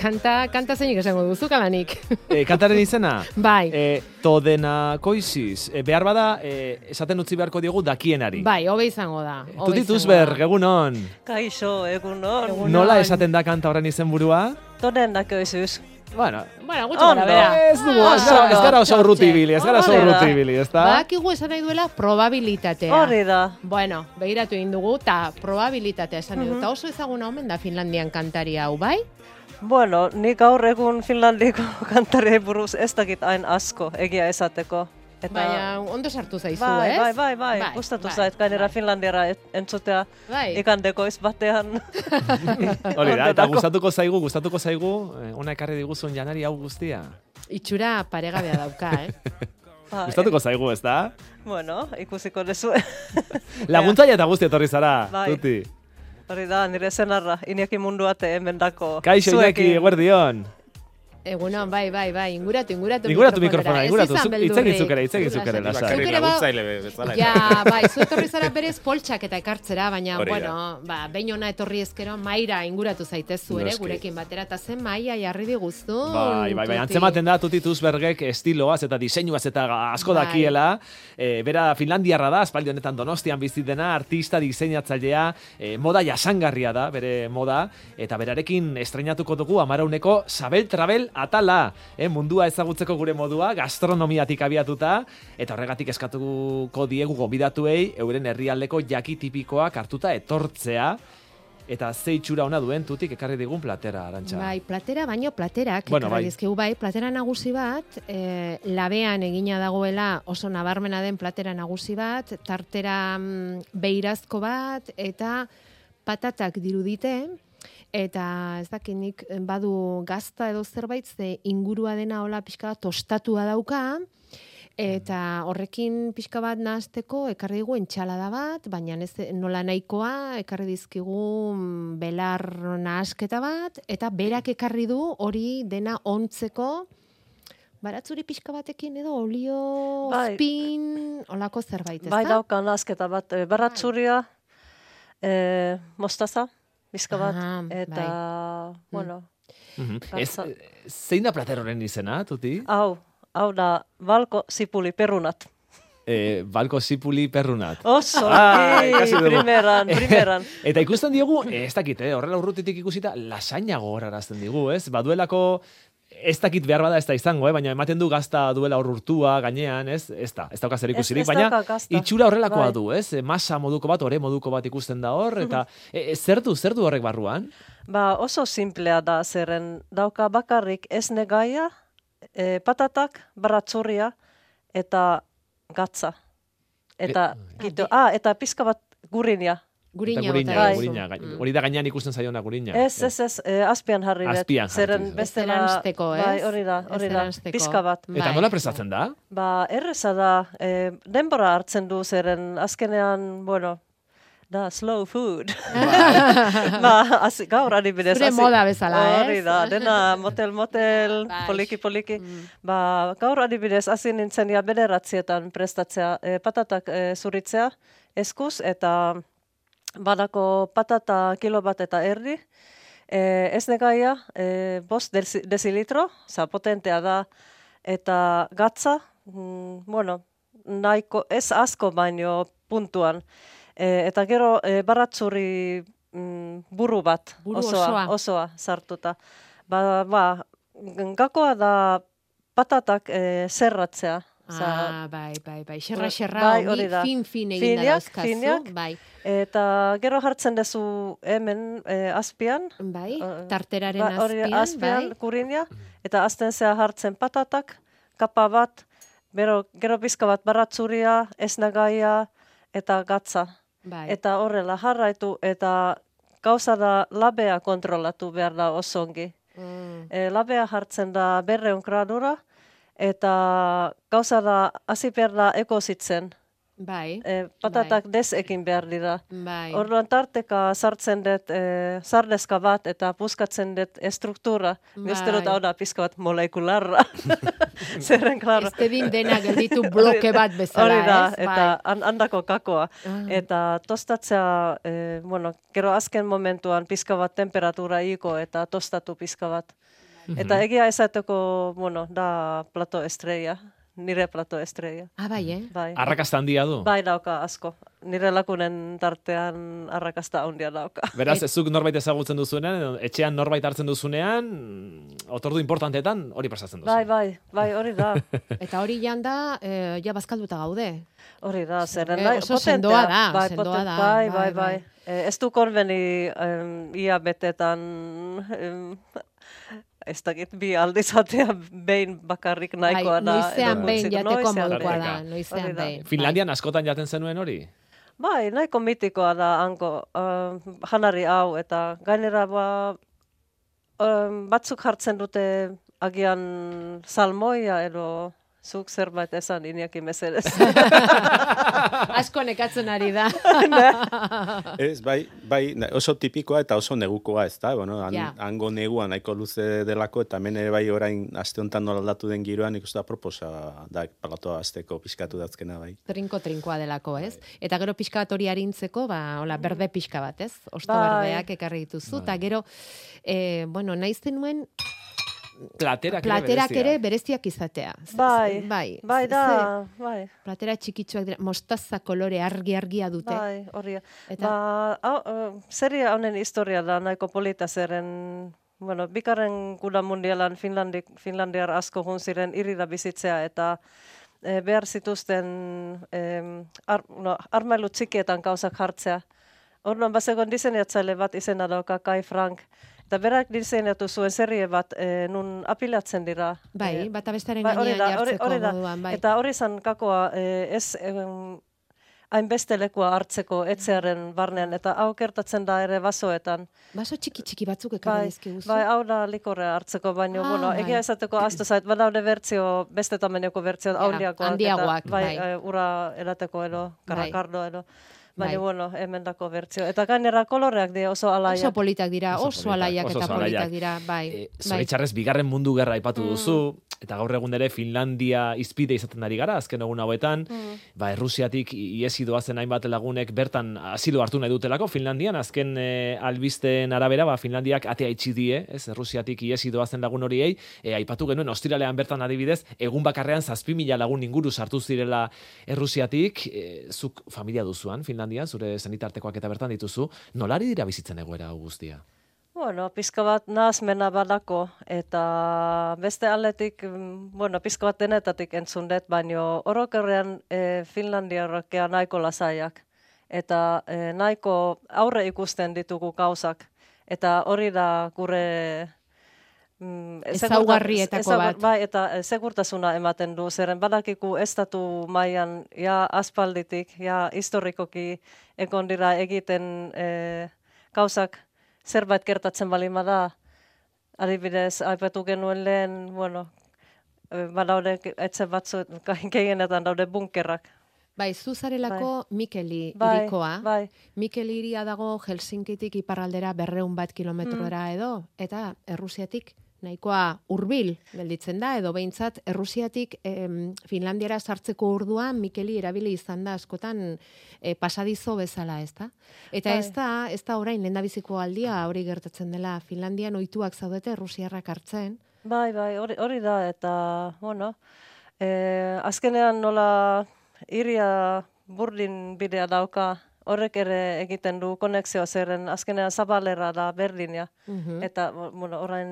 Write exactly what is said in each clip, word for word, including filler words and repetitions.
kanta, kanta zeinik esango duzu, kalanik. E, kantaren izena? Bai. E, todena koiziz. E, behar bada, e, esaten utzi beharko diogu dakienari. Bai, hobe izango da. Tuti Tusberg, egunon. Kaixo, egunon. Nola esaten da kanta horren izenburua? Todena koiziz. Bueno, bueno, gutxo gara, bera. Ez dugu, ez gara, ez gara oso urrutibili, ez gara oso urrutibili, ez da? Bakigu esan nahi duela probabilitatea. Hori da. Bueno, begiratu egin dugu, eta probabilitatea esan nahi du. Eta oso ezaguna omen da Finlandian kantari hau, bai? Bueno, nik gaur egun Finlandiko kantari buruz ez dakit hain asko, egia esateko. Eta... Baina ondo sartu zaizu, bai, ez? Bai, bai, bai, bai. Gustatu bai, zait, gainera bai. Finlandiara entzutea bai. Ikandeko ez batean. Hori da, eta gustatuko zaigu, gustatuko zaigu, ona ekarri diguzun janari hau guztia. Itxura paregabea dauka, eh? Bai. Gustatuko zaigu, ez da? Bueno, ikusiko dezu. Laguntzaile eta guzti etorri zara, bai. Tuti. Hori da, nire zenarra, Iñaki Munduate emendako. Kaixo, Iñaki, eguerdion. Egunon, bai, bai, bai, inguratu, inguratu Inguratu mikrofona, inguratu, itzegin zukere, itzegin zukere, lasa. Zure laguntzaile bezala. Ja, bai, zu etorri zara berez poltsak eta ekartzera, baina, bueno, ba, behin ona etorri ezkero, maira inguratu zaitezu ere, gurekin batera, eta zen maia jarri diguztu. Bai, bai, bai, antzematen da Tuti Tusbergek estiloaz eta diseinuaz eta asko dakiela, bera Finlandiarra da, aspaldi honetan Donostian bizi dena, artista, diseinatzailea, moda jasangarria da, bere moda, eta berarekin estreinatuko dugu amarauneko Sabel Trabel atala, eh, mundua ezagutzeko gure modua, gastronomiatik abiatuta, eta horregatik eskatuko diegu gonbidatuei euren herrialdeko jaki tipikoak hartuta etortzea, eta ze itxura ona duen Tutik ekarri digun platera, Arantxa. Bai, platera, baino platerak, bueno, ekarri bai. dizkigu, bai, platera nagusi bat, e, labean egina dagoela oso nabarmena den platera nagusi bat, tartera mm, beirazko bat, eta patatak dirudite, eta ez dakinik badu gazta edo zerbait, ze ingurua dena hola pixka bat tostatua dauka, eta horrekin pixka bat nahasteko ekarri digu entxalada bat, baina ez nola nahikoa ekarri dizkigu belar nahasketa bat, eta berak ekarri du hori dena ontzeko, baratzuri pixka batekin edo olio, bai. Spin, olako zerbait, ez da? Bai dauka nahasketa bat, baratzuria, e, mostaza, bizka bat, ah, eta, bai. Bueno. Mm-hmm. Ez, zein da plateroren izena, Tuti? Hau, hau da, balko zipuli perrunat. Eh, balko zipuli perrunat. Oso, ah, primeran, primeran. Eta ikusten diogu, ez dakit, eh, horrela urrutitik ikusita, lasaina gogorarazten digu, ez? Baduelako, ez dakit behar bada ez da izango, eh? Baina ematen du gazta duela urrurtua gainean, ez? Ez da, ez dauka zer ikusirik, baina itxura horrelakoa bai. Du, ez? Masa moduko bat, ore moduko bat ikusten da hor, eta e, zer du, zer du horrek barruan? Ba, oso simplea da zeren dauka bakarrik esne gaia, e, patatak, baratzurria, eta gatza. Eta, e, gitu, ah, eta pizka bat gurinia. Gurina, gurina, bai. gurina. Mm. Hori da gainean ikusten zaiona gurina. Ez, ez, ez, eh, azpian jarri bet. Azpian jarri. Zeren bestela, bai, hori da, hori da, pizka bat. Eta nola prestatzen da? Ba, erreza da, eh, denbora hartzen du zeren azkenean, bueno, da, slow food. ba, az, gaur adibidez. Zure moda bezala, ez? Hori da, dena motel, motel, poliki, poliki. Mm. Ba, gaur adibidez, hasi nintzen ja bederatzietan prestatzea, eh, patatak eh, zuritzea, eskuz, eta badako patata kilo bat eta erdi, e, ez negaia, e, bost desilitro, za potentea da, eta gatza, mm, bueno, nahiko, ez asko baino puntuan, e, eta gero e, baratzuri mm, buru bat, buru osoa, osoa. osoa sartuta. Ba, ba, gakoa da patatak e, zerratzea. Ah, bai, bai, bai. Xerra, xerra, bai, hori da. fin-fin egin da dauzkazu. Bai. Eta gero jartzen dezu hemen eh, azpian. Bai, tarteraren ba, azpian. azpian, bai. Kurinia. Eta azten zea jartzen patatak, kapa bat, gero, gero bizka bat baratzuria, esnagaia eta gatza. Bai. Eta horrela jarraitu, eta gauza da labea kontrolatu behar da osongi. Mm. E, labea jartzen da berreun gradura, eta gauza da hasi behar da ekozitzen. Bai. E, patatak bai. Desekin behar dira. Bai. Orduan tarteka sartzen dut e, sardeska bat eta puskatzen dut estruktura. Bai. Gazterot hau da pizka bat molekularra. Zerren, klaro. Ez tedin dena gelditu bloke bat bezala, hori da, ez? Eta bai. Handako kakoa. Uh. Eta tostatzea, e, bueno, gero azken momentuan pizka bat temperatura iko eta tostatu pizka bat. Uh-huh. Eta egia esateko, bueno, da plato estrella. Nire plato estrella. Ah, bai, eh? Bai. Arrakasta handia du? Bai, dauka, asko. Nire lakunen tartean arrakasta handia dauka. Beraz, ezuk norbait ezagutzen duzunean, etxean norbait hartzen duzunean, otordu importantetan hori pasatzen duzu. Bai, bai, bai, hori da. Eta hori janda, eh, ja bazkalduta gaude. Hori da, zeren eh, da, oso sendoa da, bai, sendoa poten, da. Bai, bai, bai. bai. Eh, ez du konbeni um, ia betetan... Um, ez dakit bi aldizatea behin bakarrik nahikoa da. Noizean behin jateko modukoa da, noizean behin. Finlandian askotan jaten zenuen hori? Bai, nahiko mitikoa da hanko uh, janari hau, eta gainera ba, um, batzuk jartzen dute agian salmoia edo zuk zerbait esan Iñaki mesedez. Asko nekatzen ari da. Ez, bai, bai, oso tipikoa eta oso negukoa, ez da? Bueno, han, ja. hango negua nahiko luze delako, eta hemen ere bai orain aste honetan nola aldatu den giroan, ikusten da proposa da palatoa azteko pixkatu datzkena, bai. Trinko-trinkoa delako, ez? Eta gero pixka bat hori harintzeko, ba, hola, berde pixka bat, ez? Osto bai. berdeak ekarri dituzu, eta gero, eh, bueno, nahi zenuen, Platerak, platerak ere bereziak izatea. Bai, bai, bai da, bai. Platera txikitsuak dira, mostaza kolore argi-argia dute. Bai, hori. Eta... Ba, au, uh, seria honen historia da, nahiko polita zeren, bueno, bikarren guda mundialan Finlandi, Finlandiar asko jun ziren irira bizitzea, eta e, behar zituzten e, ar, no, armailu txikietan gauzak jartzea. Orduan, bazegoen diseinatzaile bat izena dauka Kai Frank, eta berak diseinatu zuen serie bat e, nun apilatzen dira. Bai, e, bata bestaren bai, gainean da, jartzeko hori, hori moduan, bai. Eta hori zan kakoa, e, ez em, hainbeste lekua hartzeko etxearen barnean, eta hau kertatzen da ere basoetan. Baso txiki-txiki batzuk ekarri dizkiguzu. Bai, hau da likorrea hartzeko, baino, ah, bueno, egia bai. esateko astu zait, badaude bertzio, beste tameneko bertzio, ja, handiakoak, handiagoak, bai, bai. e, ura erateko edo, karakardo edo. Baina, bai. bueno, emendako bertzio. Eta gainera koloreak dira oso alaiak. Oso politak dira, oso, oso politak, alaiak oso eta alaiak. politak dira, bai. E, bai. Zoritxarrez, bigarren mundu gerra aipatu mm. duzu, eta gaur egun ere Finlandia izpide izaten ari gara, azken egun hauetan, mm. ba, Errusiatik iesi doazen hainbat lagunek bertan asilo hartu nahi dutelako, Finlandian, azken e, albisten arabera, ba, Finlandiak atea itxi die, ez, Errusiatik iesi doazen lagun horiei, e, aipatu genuen, ostiralean bertan adibidez, egun bakarrean zazpi mila lagun inguru sartu zirela Errusiatik, e, zuk familia duzuan, Finlandian, zure sanitartekoak eta bertan dituzu, nolari dira bizitzen egoera hau guztia? Bueno, pizka bat nahazmena badako, eta beste aldetik, bueno, pizka bat denetatik entzun dut, baino orokerrean e, Finlandiarrakea nahiko lasaiak, eta e, nahiko aurre ikusten ditugu gauzak, eta hori da gure... Mm, ezaugarrietako bat. Bai, eta segurtasuna ematen du, zeren badakiku estatu mailan ja aspalditik, ja historikoki egon dira egiten e, gauzak zerbait gertatzen balima da. Adibidez, aipatu genuen lehen, bueno, badaude etxe batzu, gehienetan daude bunkerrak. Bai, zuzarelako bai. Mikeli bai, irikoa. Bai. Mikeli iria dago Helsinkitik iparraldera berreun bat kilometrora mm. edo, eta Errusiatik nahikoa hurbil gelditzen da, edo behintzat Errusiatik em, Finlandiara sartzeko orduan Mikeli erabili izan da askotan e, pasadizo bezala, ez da? Eta bai. ez da, ez da orain lehendabiziko aldia hori gertatzen dela, Finlandian ohituak zaudete Errusiarrak hartzen. Bai, bai, hori, hori da, eta, bueno, e, azkenean nola iria burdin bidea dauka, horrek ere egiten du konexioa zeren azkenean zabalera da Berlinia. Mm-hmm. Eta, bueno, orain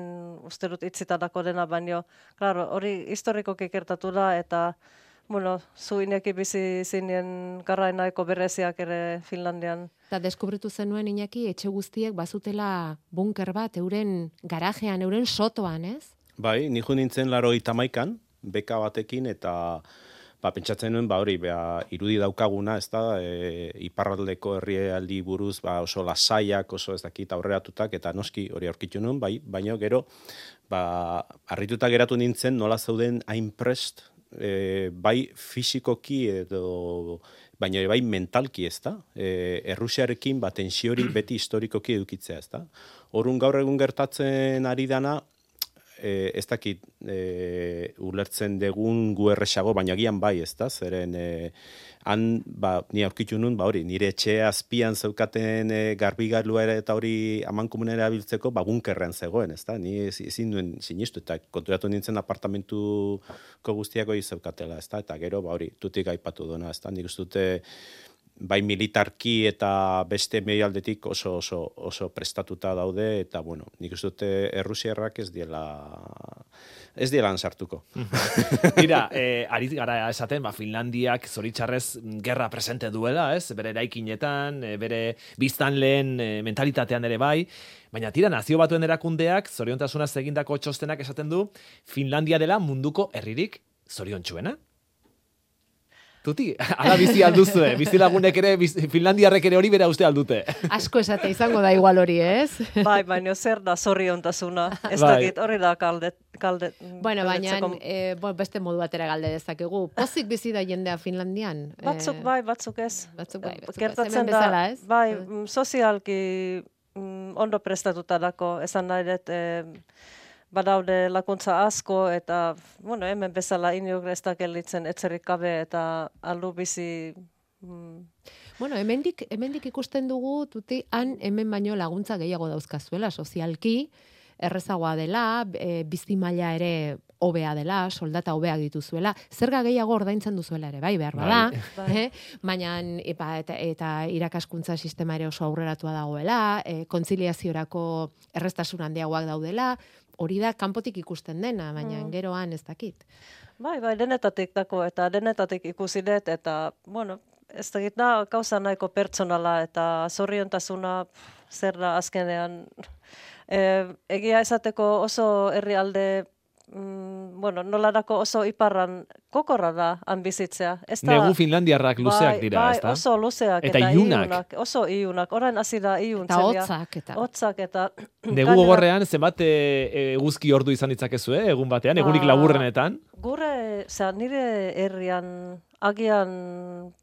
uste dut itzitadako dena, baino, klaro, hori historikoki gertatu da, eta, bueno, zu Iñaki bizi zinen garrainaiko bereziak ere Finlandian. Eta deskubritu zenuen Iñaki, etxe guztiek bazutela bunker bat, euren garajean, euren sotoan, ez? Bai, nijo nintzen laro itamaikan, beka batekin, eta... Ba, pentsatzen nuen, ba, hori, ba, irudi daukaguna, ez da, e, iparraldeko herrialdi buruz, ba, oso lasaiak, oso ez dakit aurreratutak, eta noski hori aurkitu nuen, bai, baina gero, ba, harrituta geratu nintzen, nola zauden hain prest, e, bai fisikoki edo baina bai mentalki, ez da? E, Errusiarekin ba, tensiori beti historikoki edukitzea, ez da? Horun gaur egun gertatzen ari dana, e, ez dakit e, ulertzen degun gu erresago, baina gian bai, ez da? Zeren, e, han, ba, ni aurkitu nun, ba hori, nire etxe azpian zeukaten e, garbigailua ere eta hori amankomunera biltzeko, ba, bunkerrean zegoen, ez da? Ni ezin duen sinistu, eta konturatu nintzen apartamentuko guztiako zeukatela, ez da? Eta gero, ba hori, tutik aipatu duna, ez da? Nik uste dute, bai militarki eta beste medialdetik oso, oso, oso prestatuta daude, eta, bueno, nik uste dute Errusiarrak ez diela, ez diela sartuko. Mira, eh, ari gara esaten, ba, Finlandiak zoritxarrez gerra presente duela, ez? Bere eraikinetan, bere biztanleen e, mentalitatean ere bai, baina tira nazio batuen erakundeak, zoriontasunaz egindako txostenak esaten du, Finlandia dela munduko herririk zoriontsuena. Tuti, ala bizi alduzue, bizi lagunek ere, bizi, Finlandiarrek ere hori bera uste aldute. Asko esate izango da igual hori, ez? Bai, baina zer da zoriontasuna. Ez bai. dakit, hori da kalde, kalde, bueno, baina galdetzeko. e, bo, beste modu batera galde dezakegu. Pozik bizi da jendea Finlandian. Batzuk bai, batzuk ez. Batzuk bai, batzuk Gertatzen hemen da, bezala, ez? bai, mm, sozialki mm, ondo prestatuta dako, esan nahi dut, eh, badaude lakuntza asko, eta, bueno, hemen bezala inok ez da gelditzen etzerik gabe, eta aldu bizi... Mm. Bueno, hemendik, hemendik ikusten dugu, tuti, han hemen baino laguntza gehiago dauzkazuela, sozialki, errezagoa dela, e, bizi maila ere hobea dela, soldata hobeak dituzuela, zerga gehiago ordaintzen duzuela ere, bai, behar bada, Bai. eh? Baina epa, eta, eta irakaskuntza sistema ere oso aurreratua dagoela, e, kontziliaziorako errestasun handiagoak daudela, hori da kanpotik ikusten dena, baina Mm. geroan ez dakit. Bai, bai, denetatik dako, eta denetatik ikusi dut, eta, bueno, ez dakit da, gauza nahiko pertsonala, eta zoriontasuna pff, zer da azkenean. E, egia esateko oso herrialde, mm, bueno, nolarako oso iparran kokorra da han bizitzea. Ez da, Negu Finlandiarrak luzeak bai, dira, bai, ez da? oso luzeak Eta eta, ilunak. oso ilunak. Orain hasi da iluntzen. Eta hotzak, eta... Hotzak eta... Negu gainera- gogorrean zenbat e, eguzki ordu izan ditzakezu, eh? Egun batean, egunik Ah. laburrenetan. Gure, osea, nire herrian agian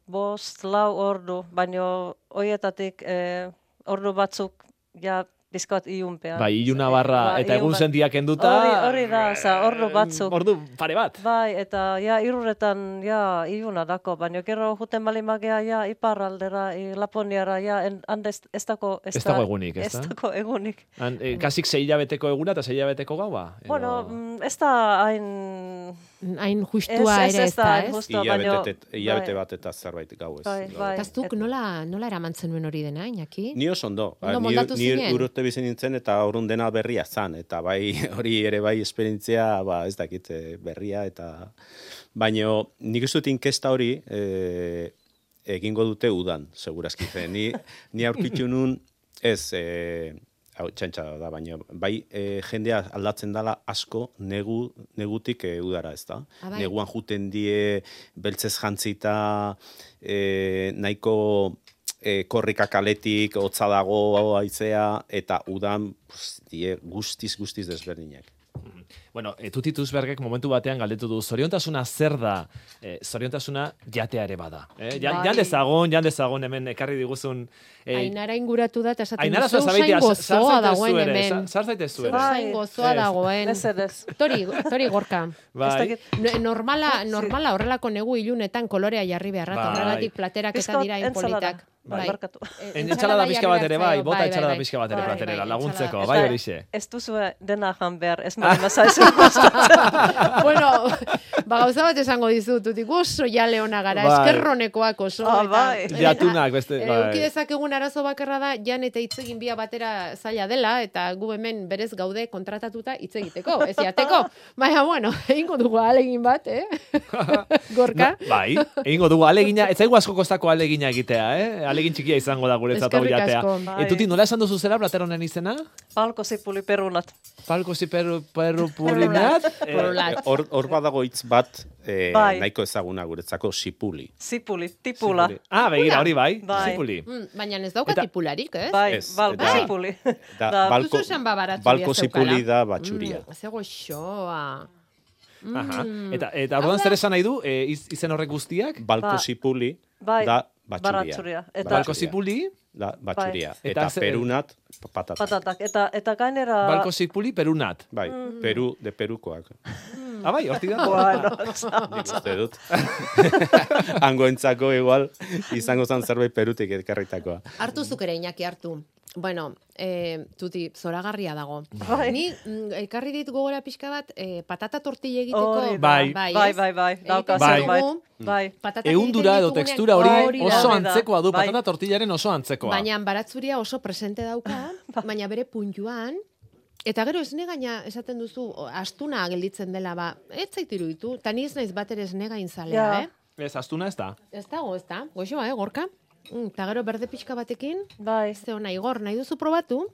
bost, lau ordu, baino hoietatik eh, ordu batzuk ja bizkat iunpean. Bai, iluna barra Ba, eta ilun egun bat- sendiak enduta. Hori, hori da, osea, ordu batzuk. Ordu pare bat. Bai, eta ja irurretan ja iluna dako, baina gero juten bali magea ja iparraldera, i Laponiara ja en, hande ez, ez dako ez, Ez dago egunik, ez ez da? dako egunik. Han, e, kasik sei hilabeteko eguna eta sei hilabeteko gaua. Edo- Bueno, mm, ez da hain Hain ez, justua ez, ere ez ez da da, hain ez? justua, baino Hilabete, hilabete bai. bat eta zerbait gau ez. Bai, gau. bai. Eta zuk Et- nola, nola eramantzen nuen hori dena, Iñaki? Ni oso ondo. Ondo Ni, moldatu ni zinen? urte bizi nintzen eta orrun dena berria zan. Eta bai hori ere bai esperientzia, ba, ez dakit, eh, berria eta... Baina nik ez dut inkesta hori eh, egingo dute udan, segurazki. Ze, Ni, ni aurkitu nun ez... Eh, hau txantxa da, baina bai e, jendea aldatzen dala asko negu, negutik e, udara, ez da? Ah, bai. Neguan juten die beltzez jantzita e, nahiko e, korrika kaletik, hotza dago haizea, eta udan pues, die guztiz, guztiz desberdinak. Bueno, e, Tuti Tusbergek momentu batean galdetu du, zoriontasuna zer da? E, zoriontasuna jatea ere bada. Eh? Jan, Bai. jan dezagon, jan dezagon hemen ekarri diguzun... E, Ainara inguratu da, eta esaten Ainara du, zeu zazabeitea, zain gozoa dagoen ere, hemen. zar zaitezu ere. Bai. Zain gozoa Ez. dagoen. ez ez. Tori, tori gorka. Bai. Ez dakit. No- Normala, normala horrelako negu ilunetan kolorea jarri beharra, eta Bai. horregatik platerak eta Bizkot dira ensalada. inpolitak. Bai, barkatu. Eh, Entxalada pixka bat ere bai, jarri bota behar entxalada zaio, pixka bat ere bai, platerera, bai, laguntzeko, entxalada. bai Eta horixe. Ez duzue dena jan behar, ez mali mazaizu gustatzen. Bueno, ba gauza bat esango dizut, tutik oso ja leona gara, Bai. eskerronekoak oso. Ah, eta- bai. eta- Jatunak, beste, eh, bai. Eduki dezakegun arazo bakarra da, jan eta hitz egin bia batera zaila dela, eta gu hemen berez gaude kontratatuta hitz egiteko, ez jateko. Baina, bueno, egingo dugu ahalegin bat, eh? Gorka? Na, bai, egingo dugu alegina, ez zaigu asko kostako alegina egitea, eh? Alegin txikia izango da guretzat hau Eskerrik jatea. asko. Bai. E, Tuti, nola esan duzu zera plateronen izena? Palko zipuli perunat. Palko ziperru perru pulinat? Eh, Purulat. Hor hor badago hitz bat eh, Bai. nahiko ezaguna guretzako sipuli. Zipuli, tipula. Zipuli. Ah, begira, hori bai, Bai. zipuli. Mm, baina ez dauka Eta- tipularik, ez? Bai, Ez, balko eta- zipuli. Da, Da, balko, duzu esan babaratzu balko bia zeukala. zipuli da batxuria. Mm, zego xoa. Aha. Eta, eta orduan zer esan nahi du, e, iz, izen horrek guztiak? Balko Ba. zipuli Bai, da batxuria. baratzuria. Eta Balko zipuli, Da batxuria. Bai. Eta, Eta ze- perunat patatak. patatak. Eta, eta gainera... balko zipuli, perunat. Bai, Peru, de Perukoak. Ah, bai, hortik da. Bueno, Nik uste dut. Hangoentzako igual izango zen zerbait Perutik ekarritakoa. Hartu zuk ere, Iñaki, hartu. Bueno, eh, tuti, zoragarria dago. Bai. Ni mm, ekarri dit gogora pixka bat, eh, patata tortilla egiteko. Hori da. Bai. bai, ez? bai, bai. Dauka Egiten Bai. zerbait. dugu, Bai. patatak Eundura egiten edo ditugunean- tekstura hori Hori da. oso Hori da. antzekoa du, Bai. patata tortillaren oso antzekoa. Baina baratzuria oso presente dauka, baina bere puntuan, eta gero esne gaina esaten duzu, o, astuna gelditzen dela, ba, ez zait iruditu, eta ni ez naiz bat ere esne gainzalea, Ja. eh? Ez, astuna ez da. Ez dago, ez da, goxoa, eh, gorka? Mm, Eta gero berde pixka batekin, Bai. ze ona, Igor, nahi duzu probatu?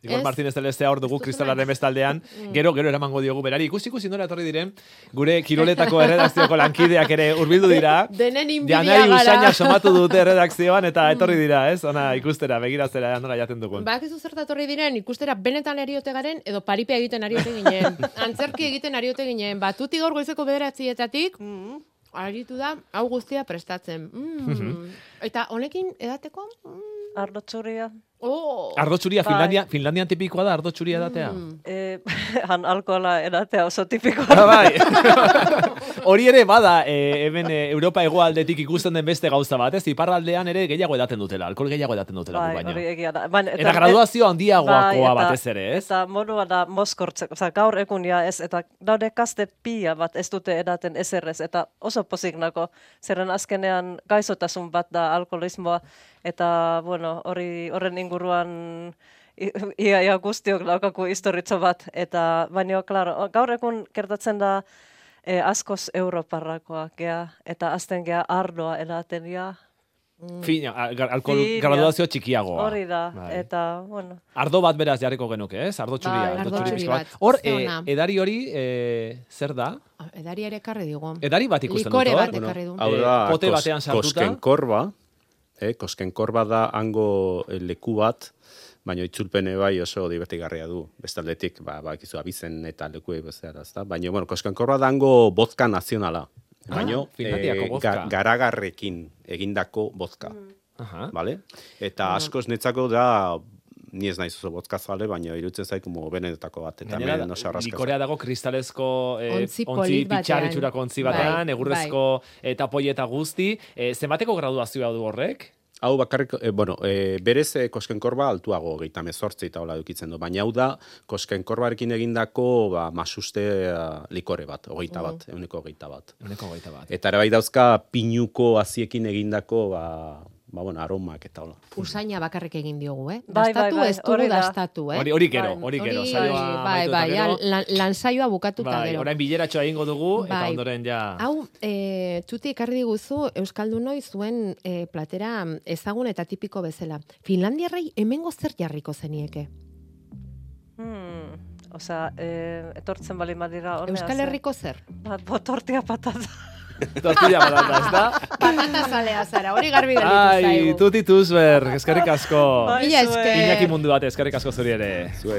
Igor Ez? Martínez Celestea hor dugu Ez duzu kristalaren nahi. bestaldean, gero, gero eramango diogu berari. Ikusi ikusi nola etorri diren, gure kiroletako erredakzioko lankideak ere hurbildu dira. Denen inbidia Janari gara. usaina somatu dute erredakzioan eta etorri dira, ez? Ona ikustera, begiratzera nola jaten dugun. Bakizu zertatorri diren, ikustera benetan ariote garen, edo paripea egiten ariote ginen. Antzerki egiten ariote ginen. Batuti gaur goizeko bederatzietatik, Mm. aritu da, hau guztia prestatzen. Mm. Eta honekin edateko? Mm. Ardo txuria. Oh. Ardo txuria, Bai. Finlandia, Finlandian tipikoa da ardo txuria edatea. Eh, han alkohola edatea oso tipikoa. Ah, bai. Hori ere bada, e, hemen e, Europa hegoaldetik ikusten den beste gauza bat, ez? Iparraldean ere gehiago edaten dutela, alkohol gehiago edaten dutela Bai, gu baino. hori egia da. Baina, Eta graduazio handiagoakoa bai, eta- batez ere, ez? Eta modua da mozkortzeko, oza, gaur egun ja ez, eta daude kaste pila bat ez dute edaten ezerrez, eta oso pozik nako, zerren azkenean gaizotasun bat da alkoholismoa, eta, bueno, hori horren inguruan i- ia, ia guztiok daukaku historitzo bat, eta, baina, klaro, gaur egun gertatzen da eh, askoz europarrakoa, gea, eta azten gea ardoa edaten, ja, Fina, a- gar- alkohol Fina. graduazio txikiagoa. hori da, Bai. eta, bueno, Ardo bat beraz jarriko genuke, ez? Ardo txuria, Bai, ardo ardo txuri txuri pixka bat. bat. Hor, Ze e, ona. edari hori, e, zer da? Edari ere ekarri digu. Edari bat ikusten Likore dut, bat hor? ekarri du. Hau Eh, da, pote kos- batean sartuta. koskenkorba, eh, koskenkorba da hango eh, leku bat, baina itzulpene bai oso divertigarria du. Bestaldetik, ba, ba, ikizu abizen eta lekuei bezala, ezta? Baina, bueno, koskenkorba da hango vodka nazionala. Baina, Ah, Finlandiako vodka. garagarrekin egindako vodka, Aha. bale? Eta askoz netzako da, ni ez naiz oso vodka zale, baina irutzen zait como benetako bat, eta Gainera, hemen oso arraskaz. likorea dago kristalezko eh, Ontzi ontzi polit batean. pitxarritxurako ontzi batean, Bai, egurrezko eta poieta guzti. Eh, zenbateko graduazioa du horrek? Hau bakarrik, eh, bueno, eh, berez eh, koskenkorba altuago gehieta mezortzi eta hola dukitzen du, baina hau da koskenkorbarekin egindako ba, masuste eh, likore bat, hogeita bat, euneko hogeita bat. Uneko gaita bat. Eta ere bai dauzka pinuko aziekin egindako ba, ba, bueno, aromak eta hola. Usaina bakarrik egin diogu, eh? Bai, bai, Dastatu bai, ez dugu hori da. dastatu, eh? Hori, hori gero, Bai. hori gero. Hori, saioa bai, amaitu bai, eta ja, gero. lan, lan saioa bukatuta Bai, gero. orain bileratxoa egingo dugu, eta Bai. ondoren ja... Hau, e, tuti ekarri diguzu Euskaldunoi zuen e, platera ezagun eta tipiko bezala. Finlandiarrei hemengo zer jarriko zenieke? hmm, osea, eh, etortzen bali madira honea. Euskal Herriko zer? Ba, botortia patata. Tortilla patata, ez da? Patata zalea zara, hori garbi gelditu Ai, zaigu. tuti tuzber, eskerrik asko. Bai, Mila zuei. esker. Iñaki mundu bat, eskerrik asko zuri ere. Zuei.